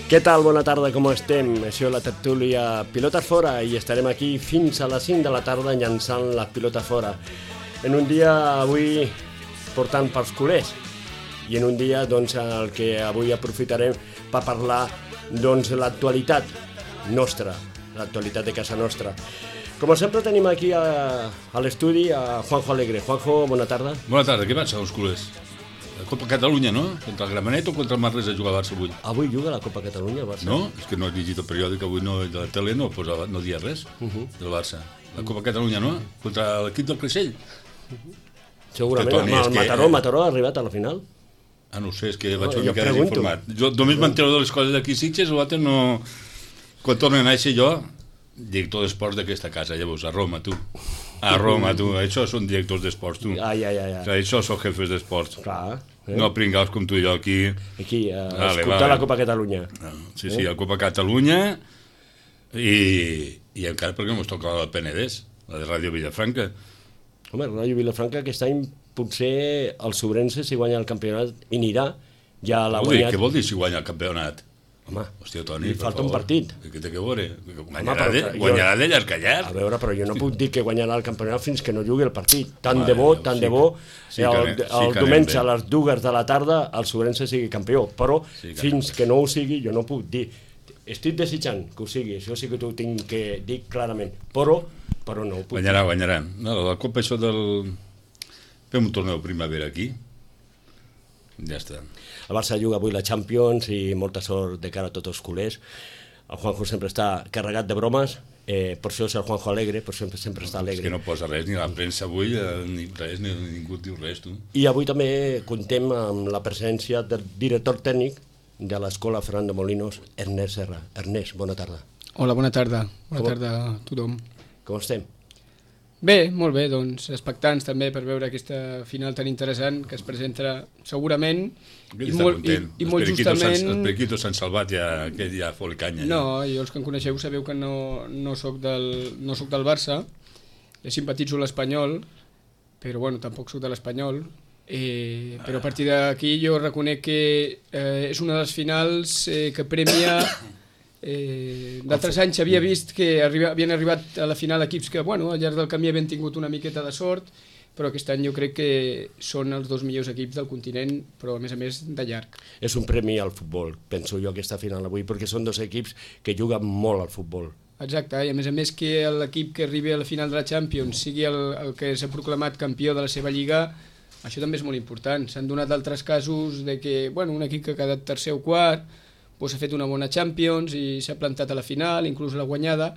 Què tal? Bona tarda, com estem? Això és la tertúlia Pilotes Fora i estarem aquí fins a les 5 de la tarda llançant les pilotes fora. En un dia avui portant pels culers i en un dia doncs, el que avui aprofitarem per parlar doncs, l'actualitat nostra, l'actualitat de casa nostra. Com sempre tenim aquí a l'estudi a Juanjo Alegre. Juanjo, bona tarda. Bona tarda, què passa els culers? La Copa Catalunya, no? Contra el Gramenet o contra el Manresa juga el Barça avui? Avui juga la Copa Catalunya, el Barça. No? És que no he llegit el periòdic, avui no, de la tele no posava, no dia res del Barça. La Copa Catalunya, no? Contra l'equip del Creixell. Segurament, Toni, amb el Mataró ha arribat a la final. Ah, no ho sé, és que vaig una mica desinformat. Jo només m'entero de les coses d'aquí Sitges, l'altre no... Quan tornen a néixer jo, director d'esports d'aquesta casa, llavors, a Roma, tu. A Roma, tu. Això són directors d'esports, tu. Ai. Això són jefes d'esports. Clar. No pringaus com tu i jo aquí. Aquí, escoltar la Copa Catalunya. Sí, la Copa Catalunya i encara perquè no ens toca la del Penedès, la de Ràdio Vilafranca. Home, Ràdio Vilafranca aquest any potser el Sobrense si guanya el campionat i anirà, ja l'ha guanyat. Què vol dir si guanya el campionat? Home, hòstia, Toni, li falta un partit. Què té que veure? Guanyarà de llarg a llarg. A veure, però jo no puc dir que guanyarà el campionat fins que no jugui el partit. Tant de bo, el diumenge a les 2 de la tarda el Sobrense sigui campió, però fins que no ho sigui jo no puc dir. Estic desitjant que ho sigui, això sí que t'ho tinc que dir clarament, però no ho puc dir. Guanyarà. La Copa això del... Fem un torneu primavera aquí. Ja està. El Barça juga avui la Champions i molta sort de cara a tots els culers. El Juanjo sempre està carregat de bromes, per això és el Juanjo Alegre, per això sempre està alegre. És que no posa res, ni la premsa avui, ni res, ni ningú diu res, tu. I avui també contem amb la presència del director tècnic de l'Escola Ferran de Molinos, Ernest Serra. Ernest, bona tarda. Hola, bona tarda. Bona tarda a tothom. Com estem? Bé, molt bé, doncs expectants també per veure aquesta final tan interessant que es presenta segurament i molt justament... Els periquitos s'han salvat ja, aquest ja fot canya. No, jo els que em coneixeu sabeu que no soc del Barça, simpatitzo l'Espanyol, però bueno, tampoc soc de l'Espanyol, però a partir d'aquí jo reconec que és una de les finals que premia... d'altres anys havia vist que havien arribat a la final equips que al llarg del camí havien tingut una miqueta de sort, però aquest any jo crec que són els dos millors equips del continent, però a més de llarg. És un premi al futbol, penso jo, aquesta final avui, perquè són dos equips que juguen molt al futbol. Exacte, i a més que l'equip que arribi a la final de la Champions sigui el que s'ha proclamat campió de la seva lliga, això també és molt important. S'han donat altres casos de que un equip que ha quedat tercer o quart s'ha fet una bona Champions i s'ha plantat a la final, inclús l'ha guanyada,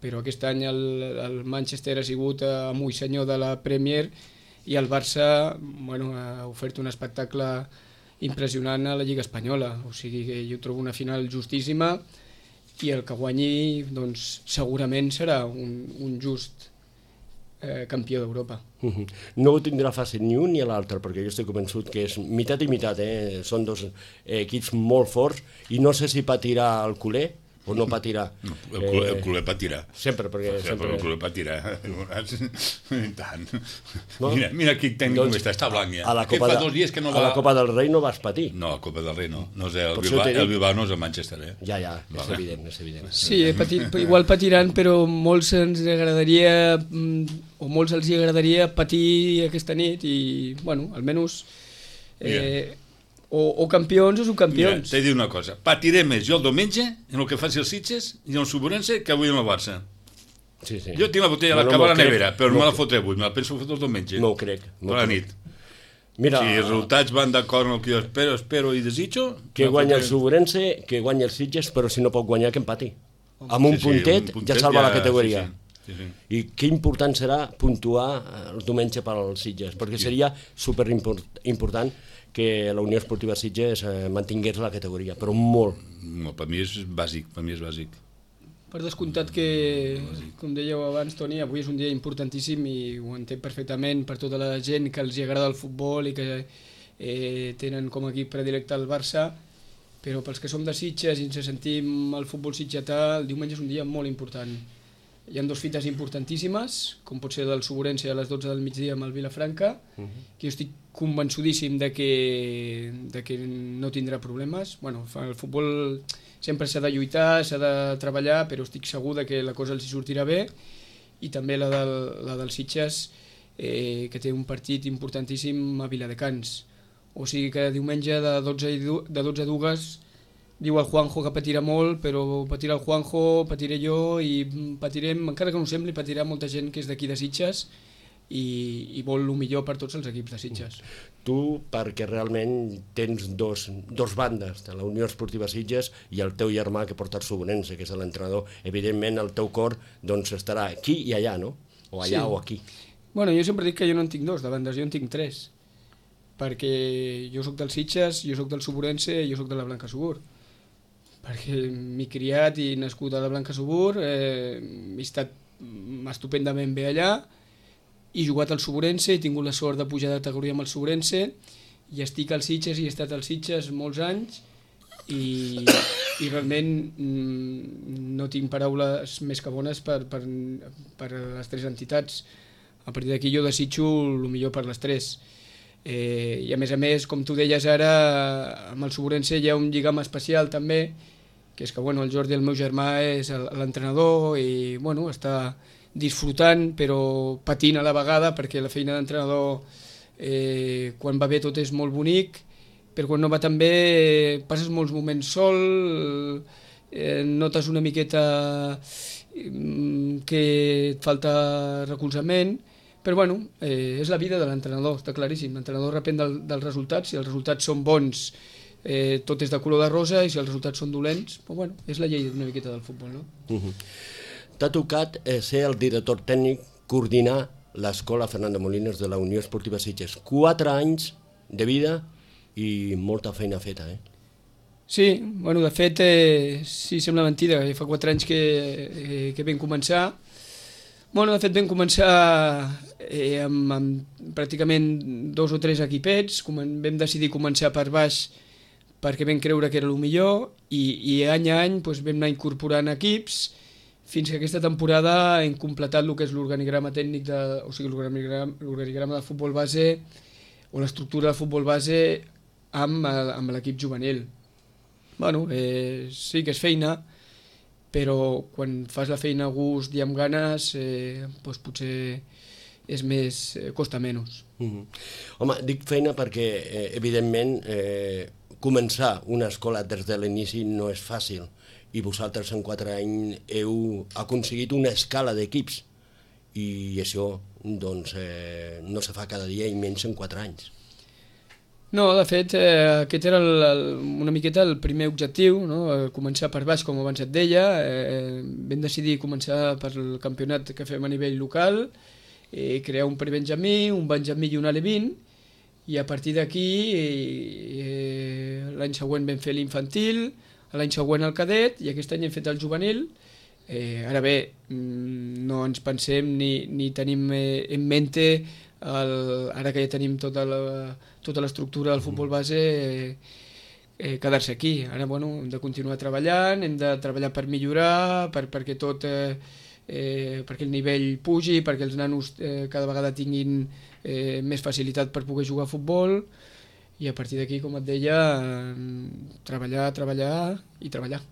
però aquest any el Manchester ha sigut amo i senyor de la Premier i el Barça ha ofert un espectacle impressionant a la Lliga Espanyola, o sigui que jo trobo una final justíssima i el que guanyi doncs, segurament serà un just campió d'Europa. No ho tindrà fàcil ni un ni l'altre, perquè jo estic convençut que és meitat i meitat, són dos equips molt forts i no sé si patirà el culer o no patirà. El culer patirà. Sempre, perquè... El culer patirà. Tant. Mira aquí com està blanc ja. Fa 2 dies que no va... A la Copa del Rei no vas patir. No, a la Copa del Rei no. No sé, el Bilbao no és el Manchester, Ja, és evident, és evident. Sí, igual patiran, però molts ens agradaria, o molts els agradaria patir aquesta nit i, almenys... O campions o subcampions. Mira, t'he dit una cosa, patiré més jo el diumenge en el que faci els Sitges i en el Sobrense que avui en el Barça. Sí. Jo tinc la botella de la cava a la nevera, però no me la fotré avui, me la penso fotre el diumenge. No ho crec. Per la nit. Mira, si els resultats van d'acord amb el que jo espero i desitjo... Que guanya el Sobrense, que guanya els Sitges, però si no pot guanyar, que empati. Amb un puntet ja salva la categoria. I que important serà puntuar el diumenge per als Sitges, perquè seria superimportant que la Unió Esportiva Sitges mantingués la categoria, però molt. No, per mi és bàsic, Per descomptat que, com dèieu abans, Toni, avui és un dia importantíssim i ho entenc perfectament per tota la gent que els agrada el futbol i que tenen com a equip predilecte el Barça, però pels que som de Sitges i ens sentim el futbol sitgetà, el diumenge és un dia molt important. hi ha 2 fites importantíssimes, com pot ser del Suburense a les 12 del migdia amb el Vilafranca, que jo estic convençudíssim de que no tindrà problemes. Bueno, el futbol sempre s'ha de lluitar, s'ha de treballar, però estic segur que la cosa els hi sortirà bé, i també la del Sitges, que té un partit importantíssim a Viladecans. O sigui que diumenge de 12 a 2 diu el Juanjo que patirà molt, però patirà el Juanjo, patiré jo, i patirem, encara que no ho sembli, patirà molta gent que és d'aquí de Sitges i vol el millor per tots els equips de Sitges. Tu, perquè realment tens dos bandes, de la Unió Esportiva Sitges i el teu germà que porta el Suburense, que és l'entrenador, evidentment el teu cor estarà aquí i allà, no? O allà o aquí. Bueno, jo sempre dic que jo no en tinc 2 de bandes, jo en tinc 3, perquè jo soc del Sitges, jo soc del Suburense i jo soc de la Blanca Subur, perquè m'he criat i nascut a la Blanca Subur, he estat estupendament bé allà, he jugat al Suburense, he tingut la sort de pujar de categoria amb el Suburense, i estic al Sitges i he estat al Sitges molts anys, i realment no tinc paraules més que bones per les 3 entitats. A partir d'aquí jo desitjo el millor per les 3. I a més, com tu deies ara, amb el Suburense hi ha un lligam especial també, que és que el Jordi, el meu germà, és l'entrenador i està disfrutant però patint a la vegada, perquè la feina d'entrenador quan va bé tot és molt bonic, però quan no va tan bé passes molts moments sol, notes una miqueta que et falta recolzament, però és la vida de l'entrenador, està claríssim. L'entrenador depèn dels resultats, si els resultats són bons tot és de color de rosa, i si els resultats són dolents, és la llei una miqueta del futbol, no? T'ha tocat ser el director tècnic, coordinar l'escola Fernando Molinos de la Unió Esportiva Sitges. 4 anys de vida i molta feina feta, Sí, de fet, sí, sembla mentida, fa 4 anys que vam començar. De fet vam començar amb pràcticament 2 o 3 equipets, vam decidir començar per baix perquè vam creure que era el millor, i any a any vam anar incorporant equips, fins que aquesta temporada hem completat el que és l'organigrama tècnic, o sigui, l'organigrama de futbol base, o l'estructura de futbol base amb l'equip juvenil. Sí que és feina, però quan fas la feina a gust i amb ganes, potser és més, costa menys. Home, dic feina perquè, evidentment, començar una escola des de l'inici no és fàcil, i vosaltres en 4 anys heu aconseguit una escala d'equips, i això no se fa cada dia i menys en 4 anys. No, de fet, aquest era una miqueta el primer objectiu, començar per baix, com abans et deia. Vam decidir començar per el campionat que fem a nivell local, crear un pre-benjamí, un benjamí i un Ale-20, i a partir d'aquí l'any següent vam fer l'infantil, l'any següent el cadet, i aquest any hem fet el juvenil. Ara bé, no ens pensem ni tenim en mente, ara que ja tenim tota l'estructura del futbol base, quedar-se aquí. Ara hem de continuar treballant, hem de treballar per millorar, perquè el nivell pugi, perquè els nanos cada vegada tinguin més facilitat per poder jugar a futbol, i a partir d'aquí, com et deia, treballar i treballar.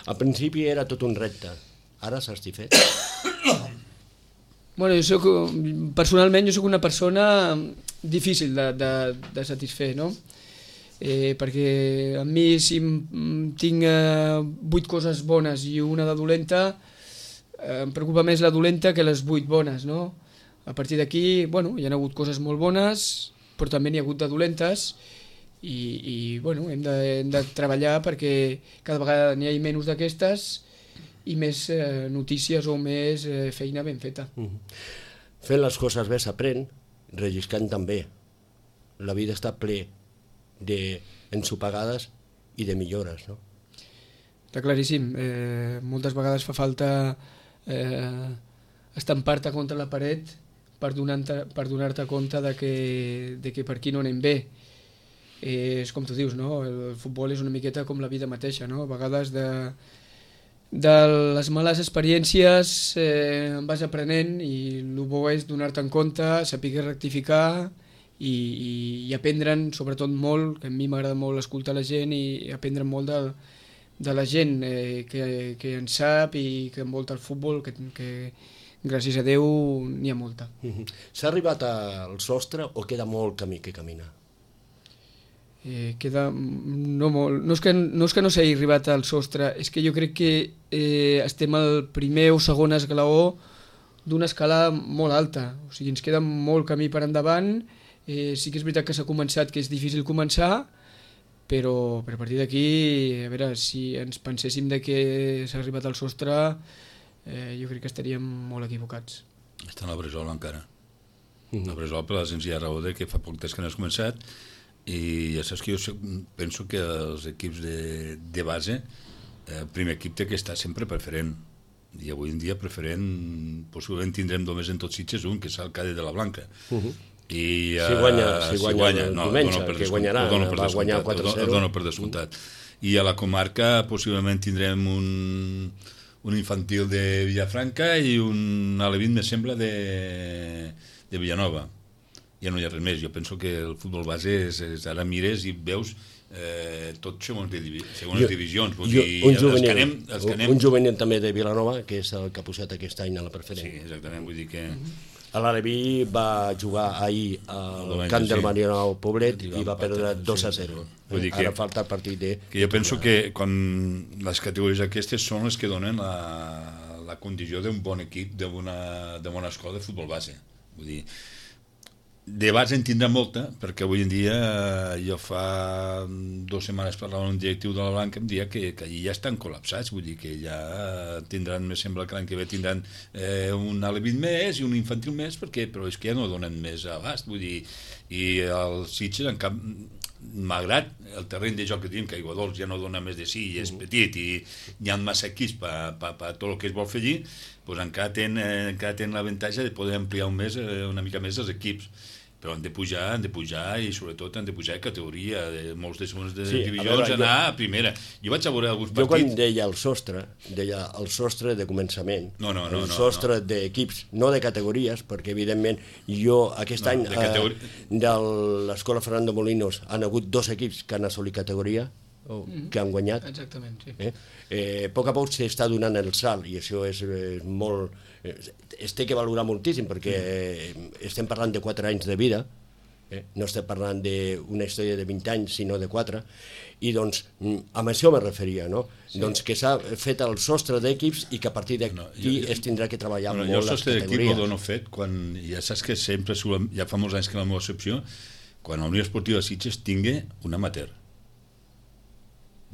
Al principi era tot un repte, ara satisfet? Personalment jo soc una persona difícil de satisfer, no? Perquè a mi, si tinc 8 coses bones i una de dolenta, em preocupa més la dolenta que les 8 bones, no? A partir d'aquí, hi ha hagut coses molt bones, però també n'hi ha hagut de dolentes, i hem de treballar perquè cada vegada n'hi hagi menys d'aquestes i més notícies o més feina ben feta. Fent les coses bé s'aprèn, relliscant també. La vida està ple d'ensopegades i de millores, no? Està claríssim. Moltes vegades fa falta estampar-te contra la paret per donar-te compte de que per aquí no anem bé. És com tu dius, no? El futbol és una miqueta com la vida mateixa, no? A vegades de les males experiències vas aprenent i el bo és donar-te en compte, saber rectificar i aprendre'n sobretot molt, que a mi m'agrada molt escoltar la gent i aprendre molt de la gent que en sap i que envolta el futbol, que gràcies a Déu n'hi ha molta. S'ha arribat al sostre o queda molt camí que caminar? Queda no molt. No és que no s'hagi arribat al sostre, és que jo crec que estem al primer o segon esglaó d'una escala molt alta, o sigui, ens queda molt camí per endavant. Sí que és veritat que s'ha començat, que és difícil començar, però a partir d'aquí, a veure, si ens penséssim de que s'ha arribat al sostre, jo crec que estaríem molt equivocats. Està en la Bresol encara. La Bresol per la senzilla raó que fa poc temps que no has començat i ja saps que jo penso que els equips de base, el primer equip té que estar sempre preferent i avui en dia preferent possiblement tindrem només en tots Sitges un, que és el Cade de la Blanca. I, si guanya el diumenge, que guanyarà, va guanyar 4-0. Ho dono per descomptat. I a la comarca possiblement tindrem un infantil de Villafranca i un alevín, me sembla, de Villanova. Ja no hi ha res més. Jo penso que el futbol base ara mires i veus tot segons les divisions. Un juvenil també de Vilanova, que és el que ha posat aquest any a la preferent. Sí, exactament, vull dir que... L'Aleví va jugar ahir al camp del Marionau Poblet i va perdre 2-0. Ara falta el partit de... Jo penso que quan les categories aquestes són les que donen la condició d'un bon equip, de bona escola de futbol base. Vull dir, de base en tindrà molta, perquè avui en dia jo fa 2 setmanes parlava amb un directiu de la Blanca, em deia que allí ja estan col·lapsats, vull dir que ja tindran, me sembla que l'any que ve tindran un alevit més i un infantil més, però és que ja no donen més abast, vull dir, i els Sitges en cap, malgrat el terreny de joc que tenim, que Aiguadols ja no dona més de sí i és petit i hi ha massa equips per tot el que es vol fer allí, doncs encara tenen l'avantatge de poder ampliar una mica més els equips. Però han de pujar i sobretot han de pujar de categoria, de molts de segones divisions, anar a primera. Jo vaig a veure alguns partits... Jo quan deia el sostre de començament, el sostre d'equips, no de categories, perquè evidentment jo aquest any de l'escola Fernando Molinos han hagut 2 equips que han assolit categoria, que han guanyat. Exactament, sí. A poc a poc s'està donant el salt i això és molt... es té que valorar moltíssim perquè estem parlant de 4 anys de vida, no estem parlant d'una història de 20 anys sinó de 4, i doncs amb això me referia, no? Sí. Doncs que s'ha fet el sostre d'equips i que a partir d'aquí es tindrà que treballar molt les categories. Jo el sostre d'equip ho dono fet quan ja saps que sempre, ja fa molts anys que la meva excepció, quan la Unió Esportiva Sitges tingui un amateur.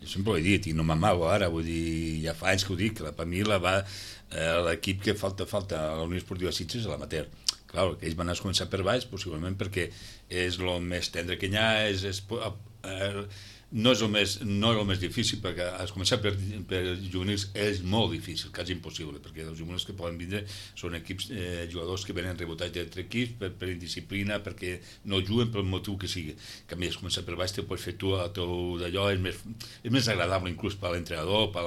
Jo sempre ho he dit, i no m'amago ara, vull dir, ja fa anys que ho dic, que per mi l'equip que falta a la Unió Esportiva Sitges és l'amateur. Clar, que ells van a començar per baix, possiblement perquè és el més tendre que hi ha, no és el més difícil, perquè has començat per juvenils és molt difícil, quasi impossible, perquè els juvenils que poden vindre són equips, jugadors que venen rebotats d'altres equips per indisciplina, perquè no juguen pel motiu que sigui. Que a més, començar per baix te pots fer tu el teu d'allò, és més agradable inclús per l'entrenador, per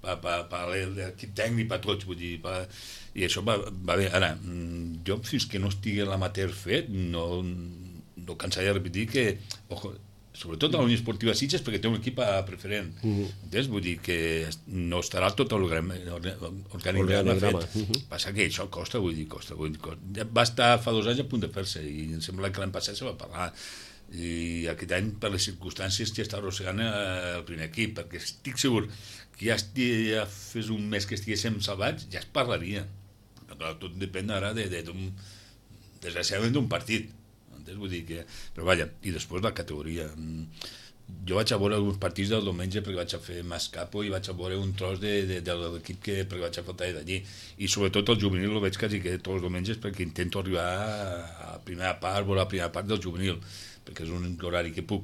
l'equip tècnic, per tots, vull dir, i això va bé. Ara, jo fins que no estigui l'amateur fet, no cansaré de repetir que, sobretot a la Unió Esportiva Sitges, perquè té un equip preferent. Vull dir que no estarà tot l'organigrama fet. Passa que això costa, vull dir, costa. Va estar fa 2 anys a punt de fer-se i em sembla que l'any passat se va parlar. I aquest any, per les circumstàncies, ja està arrossegant el primer equip, perquè estic segur que ja fes un mes que estiguéssim salvats, ja es parlaria. Tot depèn ara desgraciadament d'un partit. Vull dir que... Però vaja, i després la categoria. Jo vaig a veure alguns partits del diumenge perquè vaig a fer Mascapo i vaig a veure un tros de l'equip perquè vaig a faltar d'allí. I sobretot el juvenil el veig quasi que tots els diumenges perquè intento arribar a la primera part, veure la primera part del juvenil, perquè és un horari que puc.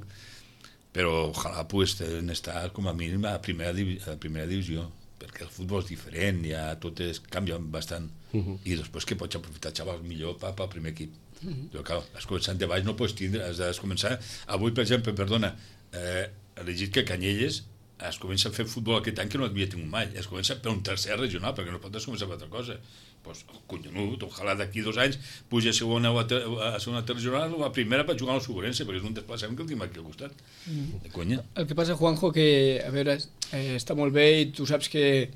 Però ojalà poguessin estar com a mínim a primera divisió, perquè el futbol és diferent, ja tot canvia bastant. I després que pots aprofitar xavals millor pel primer equip. Però clar, has començat de baix, no pots tindre, has de començar. Avui, per exemple, he llegit que Canyelles es comença a fer futbol aquest any que no havia tingut mai. Es comença per un tercer regional, perquè no pots començar per altra cosa. Doncs, collonut, ojalà d'aquí 2 anys puja a segona regional o a primera per jugar al Suburense, perquè és un desplaçament que el tinc aquí al costat. De conya. El que passa, Juanjo, que, a veure, està molt bé i tu saps que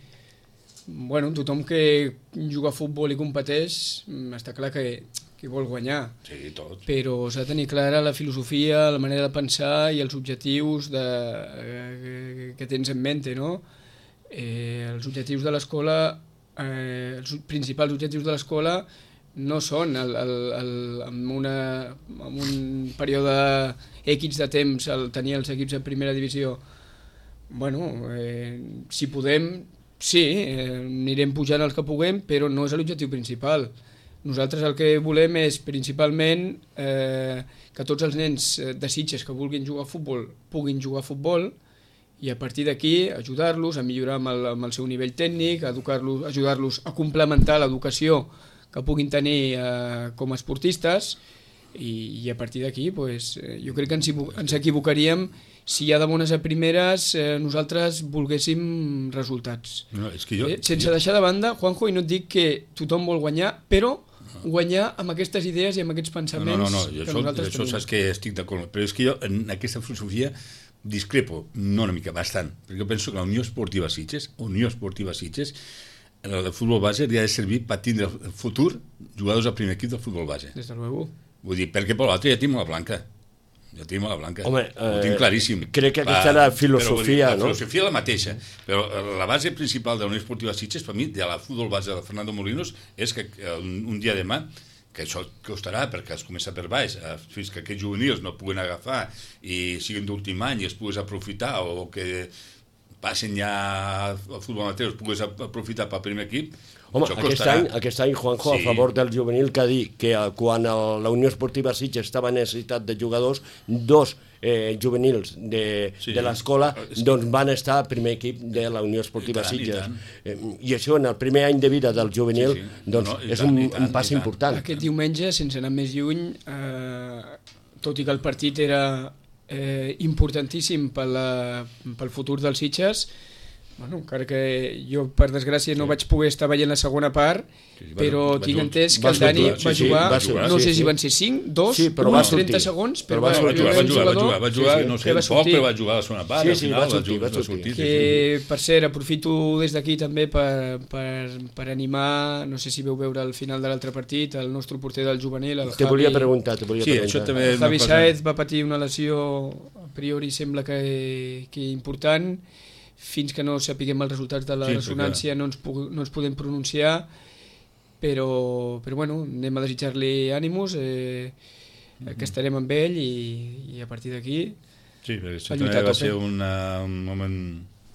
bueno, tothom que juga a futbol i competeix està clar que vol guanyar. Sí, tot. Però s'ha de tenir clara la filosofia, la manera de pensar i els objectius que tens en mente, no? Els objectius de l'escola, els principals objectius de l'escola no són en un període X de temps tenir els equips de primera divisió. Bueno, si podem, sí, anirem pujant els que puguem, però no és l'objectiu principal. Nosaltres el que volem és principalment que tots els nens de Sitges que vulguin jugar a futbol puguin jugar a futbol i a partir d'aquí ajudar-los a millorar amb el seu nivell tècnic, ajudar-los a complementar l'educació que puguin tenir com a esportistes i a partir d'aquí jo crec que ens equivocaríem si ja de bones a primeres nosaltres volguéssim resultats. No, és que sense deixar de banda, Juanjo, i no et dic que tothom vol guanyar, però guanyar amb aquestes idees i amb aquests pensaments que nosaltres tenim. Això saps que estic d'acord, però és que jo en aquesta filosofia discrepo, no una mica, bastant, perquè jo penso que la Unió Esportiva Sitges, el futbol base li ha de servir per tindre el futur jugadors al primer equip del futbol base. Des de luego. Vull dir, perquè per l'altre ja tenim la blanca. Home, ho tinc claríssim. Crec que aquesta era la filosofia, no? La filosofia és la mateixa, però la base principal de la Unió Esportiva Sitges, per mi, de la futbol base de Fernando Molinos, és que un dia demà, que això costarà perquè es comença per baix, fins que aquests juvenils no puguen agafar i siguin d'últim any i es pugues aprofitar o que passen ja al futbol amateur, es pugues aprofitar pel primer equip. Home, aquest any, Juanjo, sí, a favor del juvenil, que ha dit que quan la Unió Esportiva Sitges estava en necessitat de jugadors, 2 juvenils de l'escola doncs van estar al primer equip de la Unió Esportiva Sitges. I això, en el primer any de vida del juvenil, és un pas important. Aquest diumenge, sense anar més lluny, tot i que el partit era importantíssim pel futur dels Sitges, bueno, encara que jo, per desgràcia, no vaig poder estar veient la segona part, però tinc entès que el Dani va jugar, no sé si van ser 5, 2, 30 segons, però va jugar, no sé, poc, però va jugar la segona part, sí, va sortir. Que, per cert, aprofito des d'aquí també per animar, no sé si veu veure al final de l'altre partit, el nostre porter del juvenil, el Javi. Te volia preguntar. El Javi Saez va patir una lesió, a priori sembla que important, fins que no sapiguem els resultats de la ressonància no ens podem pronunciar, però bueno, anem a desitjar-li ànimos, que estarem amb ell i a partir d'aquí això també va ser un moment.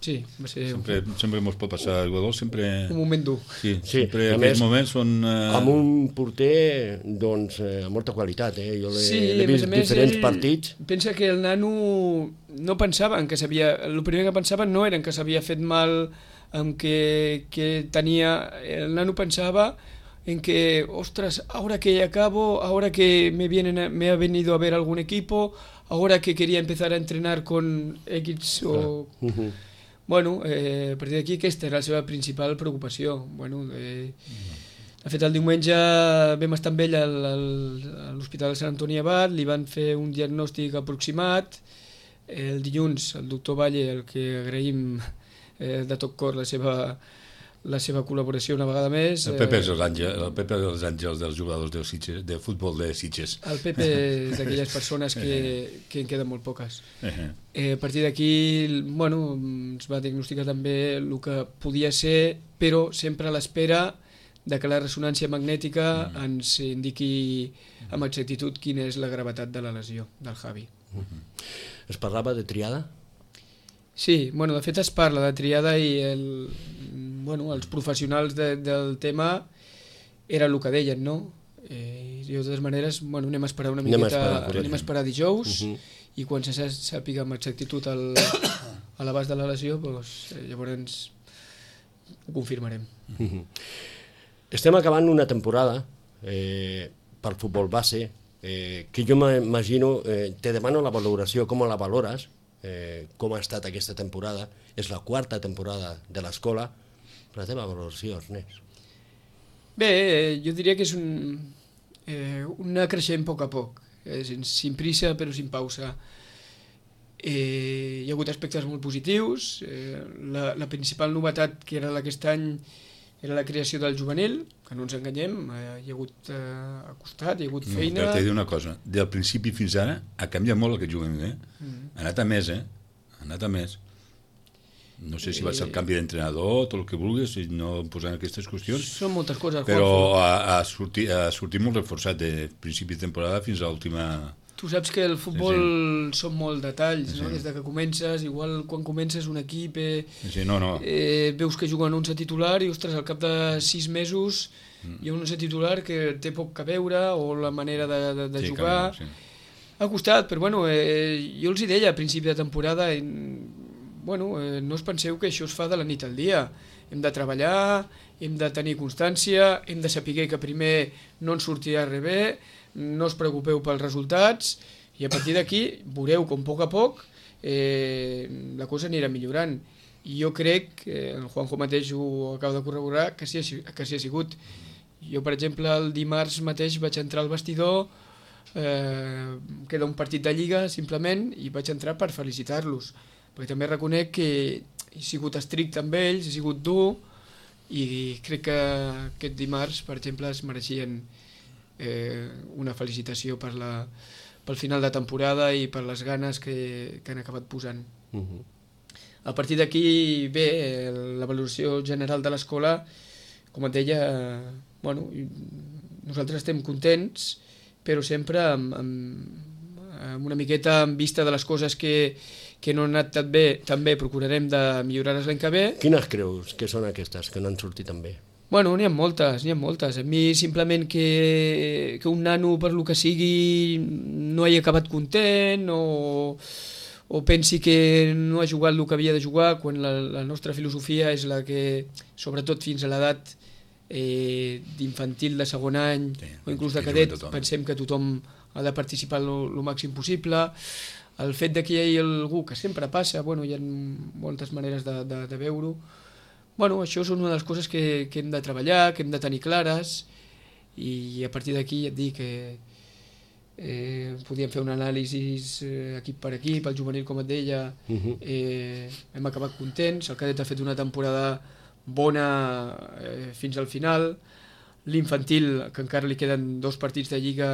Sí, va ser sempre que ens pot passar el jugador, sempre un moment dur. Sí, sempre aquells moments són amb un porter doncs amb molta qualitat, jo l'he vist diferents partits. Pensa que el nano no pensava en que el primer que pensava no era en que s'havia fet mal, en que tenia, el nano pensava en que, ostras, ahora que acabo, ahora que me ha venido a ver algún equipo, ahora que quería empezar a entrenar con X o... Bueno, a partir d'aquí aquesta era la seva principal preocupació. Bueno, de fet, el diumenge vam estar amb ell a l'Hospital de Sant Antoni Abat, li van fer un diagnòstic aproximat. El dilluns, el doctor Valle, el que agraïm de tot cor la seva col·laboració una vegada més. El Pepe és els àngels dels jugadors de futbol de Sitges. El Pepe és d'aquelles persones que en queden molt poques. A partir d'aquí, bueno, ens va diagnosticar també el que podia ser, però sempre a l'espera de que la ressonància magnètica ens indiqui amb exactitud quina és la gravetat de la lesió del Javi. Es parlava de triada? Sí, bueno, de fet es parla de triada i els professionals del tema era el que deien, no? I de totes maneres, anem a esperar una miqueta, anem a esperar dijous i quan se sàpiga amb exactitud a l'abast de la lesió, llavors ho confirmarem. Estem acabant una temporada pel futbol base que jo m'imagino, te demano la valoració, com la valores, com ha estat aquesta temporada. És la quarta temporada de l'escola. La teva valoració, Ernest? Bé, jo diria que és una creixent a poc a poc, sin prisa però sin pausa. Hi ha hagut aspectes molt positius. La principal novetat que era d'aquest any era la creació del juvenil, que no ens enganyem, hi ha hagut acostat, hi ha hagut feina... Però t'he de dir una cosa, del principi fins ara ha canviat molt aquest juvenil, ha anat a més, ha anat a més. No sé si va ser el canvi d'entrenador, tot el que vulguis, i no posant aquestes qüestions. Són moltes coses, però ha sortit molt reforçat de principi de temporada fins a l'última... Tu saps que el futbol són molt detalls, no? Des que comences, igual quan comences un equip veus que juguen 11 titular i, ostres, al cap de 6 mesos hi ha un 11 titular que té poc a veure, o la manera de jugar. Ha costat, però bueno, jo els hi deia a principi de temporada, no us penseu que això es fa de la nit al dia. Hem de treballar, hem de tenir constància, hem de saber que primer no ens sortirà res bé, no us preocupeu pels resultats, i a partir d'aquí veureu com a poc la cosa anirà millorant. I jo crec, el Juanjo mateix ho acaba de corroborar, que sí ha sigut. Jo, per exemple, el dimarts mateix vaig entrar al vestidor, queda un partit de Lliga simplement, i vaig entrar per felicitar-los, perquè també reconec que he sigut estricte amb ells, he sigut dur, i crec que aquest dimarts, per exemple, es mereixien una felicitació pel final de temporada i per les ganes que han acabat posant. A partir d'aquí, bé, la valoració general de l'escola, com et deia, nosaltres estem contents, però sempre amb una miqueta en vista de les coses que no han anat tan bé, procurarem de millorar-les l'any que ve. Quines creus que són aquestes que no han sortit tan bé? N'hi ha moltes. A mi simplement que un nano, per lo que sigui, no hagi acabat content o pensi que no ha jugat el que havia de jugar, quan la nostra filosofia és la que, sobretot fins a l'edat d'infantil de segon any o inclús de cadet, pensem que tothom ha de participar el màxim possible. El fet que hi hagi algú, que sempre passa, hi ha moltes maneres de veure-ho. Això és una de les coses que hem de treballar, que hem de tenir clares, i a partir d'aquí ja et dic que podíem fer un anàlisi equip per equip. El juvenil, com et deia, hem acabat contents, el cadet ha fet una temporada bona fins al final, l'infantil, que encara li queden 2 partits de Lliga,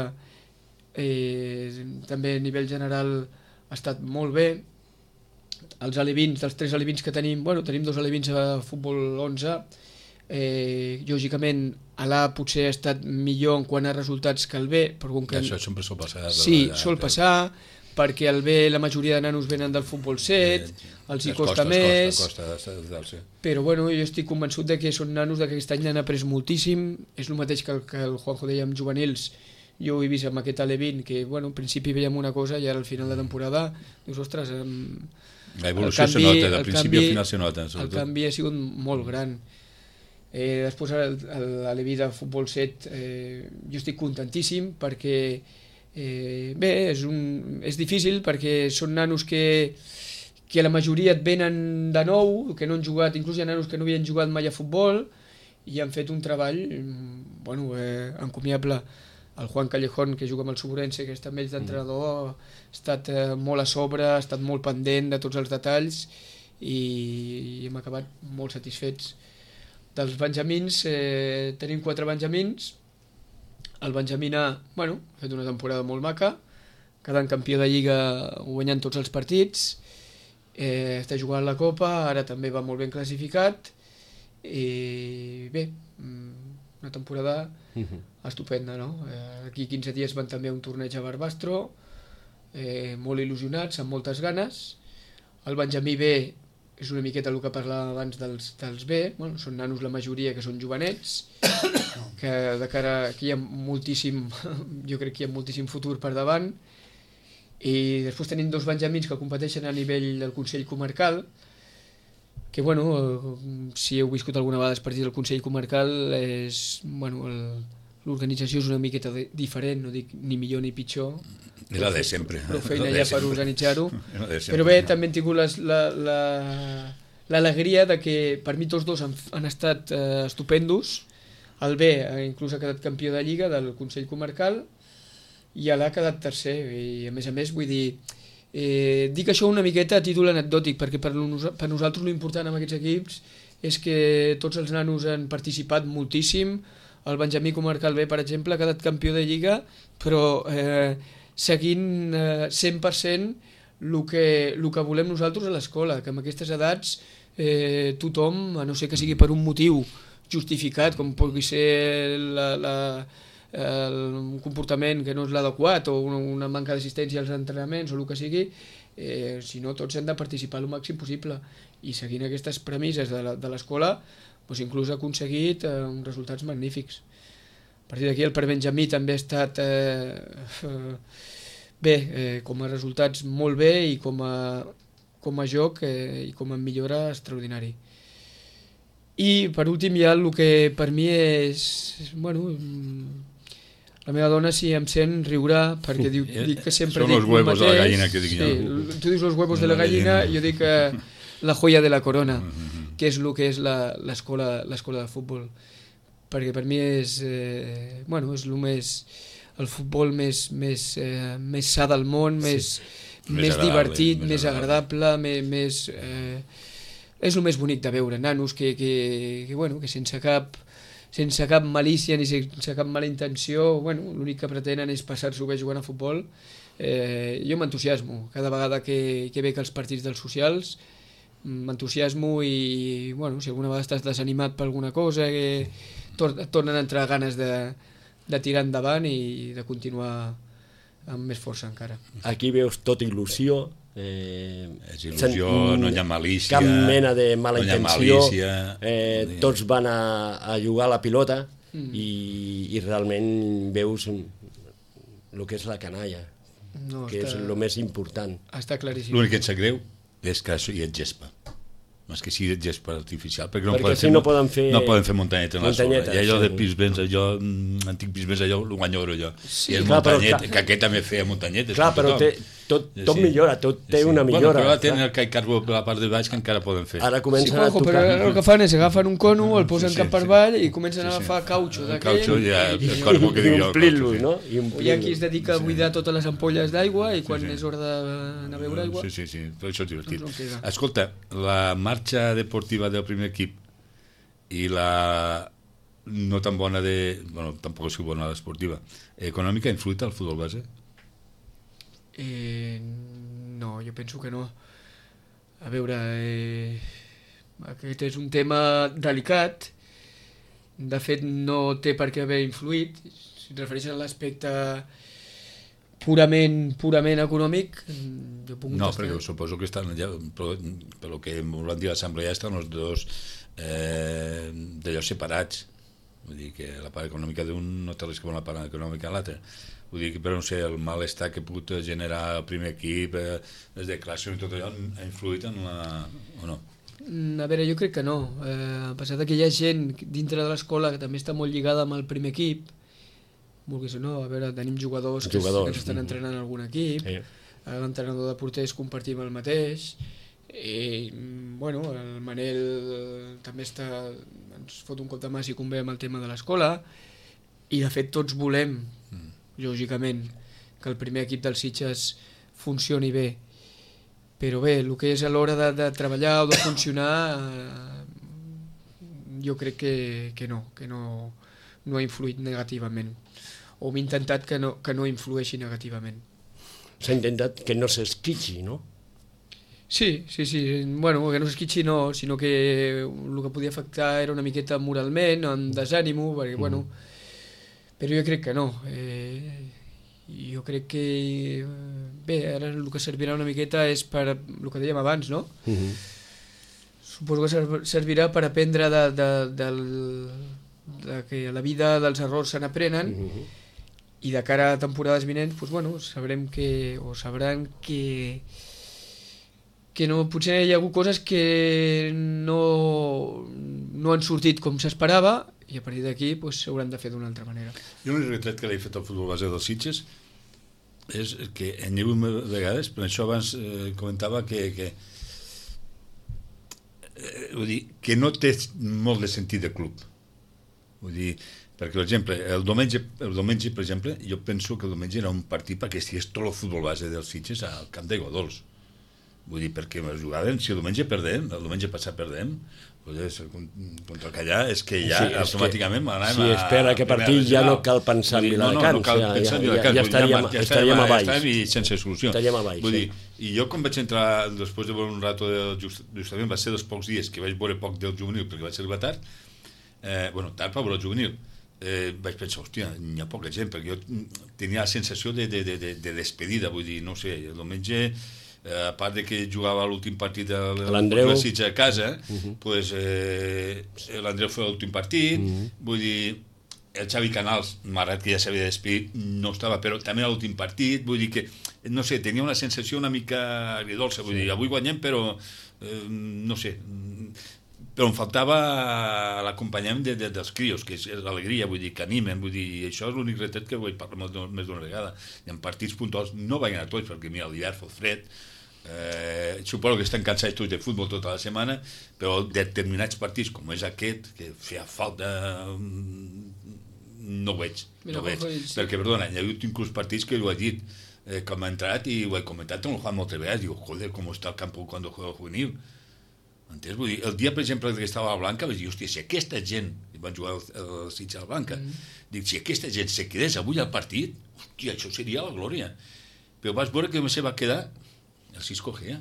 també a nivell general ha estat molt bé. Els alevins, dels 3 alevins que tenim, tenim 2 alevins a futbol 11, lògicament a l'A potser ha estat millor en quant a resultats que el B, però que... Això sempre sol passar. Sí, sol passar, perquè el B la majoria de nanos venen del futbol 7, els hi costa més, però jo estic convençut que són nanos que aquest any n'han après moltíssim. És el mateix que el Juanjo deia amb juvenils. Jo ho he vist amb aquest Alevin, que en principi veiem una cosa i ara al final de temporada dius, ostres, la evolució se nota, del principi al final se nota. El canvi ha sigut molt gran. Després l'Aleví de futbol 7 jo estic contentíssim perquè bé, és difícil perquè són nanos que la majoria et venen de nou, que no han jugat, inclús hi ha nanos que no havien jugat mai a futbol i han fet un treball encomiable. El Juan Callejón, que juga amb el Suburense, que està amb ells d'entrenador, ha estat molt a sobre, ha estat molt pendent de tots els detalls i hem acabat molt satisfets. Dels benjamins, tenim 4 benjamins. El benjamí A ha fet una temporada molt maca, quedant campió de Lliga, guanyant tots els partits, està jugant la Copa, ara també va molt ben classificat, i bé, una temporada estupenda, no? Aquí 15 dies van també a un torneig a Barbastro, molt il·lusionats, amb moltes ganes. El benjamí B és una miqueta el que parlava abans dels B, són nanos la majoria que són jovenets, que de cara aquí hi ha moltíssim, jo crec que hi ha moltíssim futur per davant, i després tenim 2 benjamins que competeixen a nivell del Consell Comarcal, que si heu viscut alguna vegada els partits del Consell Comarcal és el l'organització és una miqueta diferent, no dic ni millor ni pitjor. És la de sempre. Prou feina ja per organitzar-ho. Però bé, també hem tingut l'alegria de que per mi tots dos han estat estupendos. El B inclús ha quedat campió de Lliga del Consell Comarcal i l'A ha quedat tercer. I a més, vull dir, dic això una miqueta a títol anecdòtic, perquè per nosaltres l'important en aquests equips és que tots els nanos han participat moltíssim. El Benjamí Comarcal B, per exemple, ha quedat campió de Lliga, però seguint 100% el que volem nosaltres a l'escola, que amb aquestes edats tothom, a no ser que sigui per un motiu justificat, com pugui ser un comportament que no és l'adequat o una manca d'assistència als entrenaments o el que sigui, si no, tots hem de participar el màxim possible. I seguint aquestes premisses de l'escola, doncs inclús ha aconseguit uns resultats magnífics. A partir d'aquí el per Benjamí també ha estat bé, com a resultats molt bé i com a joc i com a millora extraordinari. I per últim hi ha el que per mi és... Bueno, la meva dona, si em sent, riurà, perquè dic que sempre dic el mateix. Són els huevos de la gallina, que dic jo. Sí, tu dius els huevos de la gallina, jo dic la joia de la corona, que és el que és l'escola de futbol. Perquè per mi és el futbol més sa del món, més divertit, més agradable, és el més bonic de veure, nanos que sense cap malícia ni sense cap mala intenció, l'únic que pretenen és passar-s'ho bé jugant a futbol. Jo m'entusiasmo cada vegada que veig els partits dels socials, m'entusiasmo i si alguna vegada estàs desanimat per alguna cosa tornen a entrar ganes de tirar endavant i de continuar amb més força encara. Aquí veus tot il·lusió, és il·lusió, no hi ha malícia, cap mena de mala intenció, tots van a jugar a la pilota i realment veus el que és la canalla, que és el més important. Està claríssim. L'únic que et sap greu és que hi ha gespa. És que sigui gespa artificial, perquè no poden fer muntanyeta en la sorra. I allò de Pisbens, antic Pisbens, allò ho guanyo jo. I el muntanyet, que aquest també feia muntanyetes. Clar, però tot millora, tot té una millora. Però ara tenen el caicarbo per la part de baix que encara poden fer. Ara comencen a tocar. Però el que fan és agafen un cono, el posen cap per avall i comencen a agafar cautxo d'aquell i omplir-lo, no? Hi ha qui es dedica a buidar totes les ampolles d'aigua i quan és hora d'anar a beure aigua... Sí, però això és divertit. Escolta, la marxa deportiva del primer equip i la no tan bona tampoc és bona l'esportiva, econòmica, ha influït al futbol base? No, jo penso que no. A veure, aquest és un tema delicat, de fet no té per què haver influït. Si et refereixes a l'aspecte purament econòmic, jo puc contestar. No, perquè suposo que estan allà, pel que van dir a l'assemblea, estan els dos d'allò separats. Vull dir que la part econòmica d'un no té res que veure la part econòmica de l'altre. Vull dir que, però no sé, el malestar que ha pogut generar el primer equip, les declaracions i tot allò, ha influït en o no? A veure, jo crec que no. A pesar que hi ha gent dintre de l'escola que també està molt lligada amb el primer equip, vulguis o no, a veure, tenim jugadors que estan entrenant en algun equip, l'entrenador de porters compartim el mateix, i, el Manel també ens fot un cop de mà si convé amb el tema de l'escola, i de fet tots volem, lògicament, que el primer equip dels Sitges funcioni bé, però bé, el que és a l'hora de treballar o de funcionar, jo crec que no ha influït negativament, o hem intentat que no influeixi negativament. S'ha intentat que no s'esquitxi, no? Sí, que no s'esquitxi no, sinó que el que podia afectar era una miqueta moralment, amb desànimo, perquè, però jo crec que no. Jo crec que bé, ara el que servirà una miqueta és per el que dèiem abans, no? Suposo que servirà per aprendre de que a la vida dels errors se n'aprenen i de cara a temporades vinents sabran que no, potser hi ha hagut coses que no han sortit com s'esperava i a partir d'aquí s'hauran de fer d'una altra manera. Jo l'únic retret que li he fet al futbol base dels Sitges és que en hi ha hagut vegades, per això abans comentava que vull dir, que no té molt de sentit de club. Vull dir, perquè, per exemple, el diumenge, per exemple, jo penso que el diumenge era un partit perquè estigués tot el futbol base dels Sitges al camp d'Aigua Dols. Vull dir, perquè jugaven, si el diumenge perdem, el diumenge passat perdem, contra el Callà, és que ja automàticament anàvem si espera que partit ja no cal pensar en Viladecans, ja estaríem a baix i sense solució. Vull dir, i jo quan vaig entrar després de veure un rato justament va ser dels pocs dies que vaig veure poc del juvenil perquè vaig arribar tard tard per veure el juvenil vaig pensar, hòstia, hi ha poca gent perquè jo tenia la sensació de despedida, vull dir, no sé, el diumenge a part de que jugava l'últim partit de l'Andreu a casa, doncs l'Andreu feia l'últim partit, vull dir, el Xavi Canals, malgrat que ja s'havia despedir, no estava, però també a l'últim partit, vull dir que, no sé, tenia una sensació una mica agridolça, vull dir, avui guanyem, però, no sé, però em faltava l'acompanyament dels crios, que és l'alegria, vull dir, que animen, vull dir, això és l'únic retret que vull parlar més d'una vegada. I en partits puntuals no vaig anar tots, perquè mira, l'hivern fa fred, suposo que estan cansats tots de futbol tota la setmana, però determinats partits, com és aquest, que feia falta, no ho veig, perquè, perdona, hi ha hagut inclús partits que ho he dit, com ha entrat i ho he comentat amb el Juan moltes vegades, diu, joder, com està el camp quan juega el juvenil. Entens? Vull dir, el dia, per exemple, que estava a la Blanca, vaig dir, hòstia, si aquesta gent, van jugar el Sitges a la Blanca, dic, si aquesta gent se quedés avui al partit, hòstia, això seria la glòria. Però vas veure que se va quedar el Cisco Gea,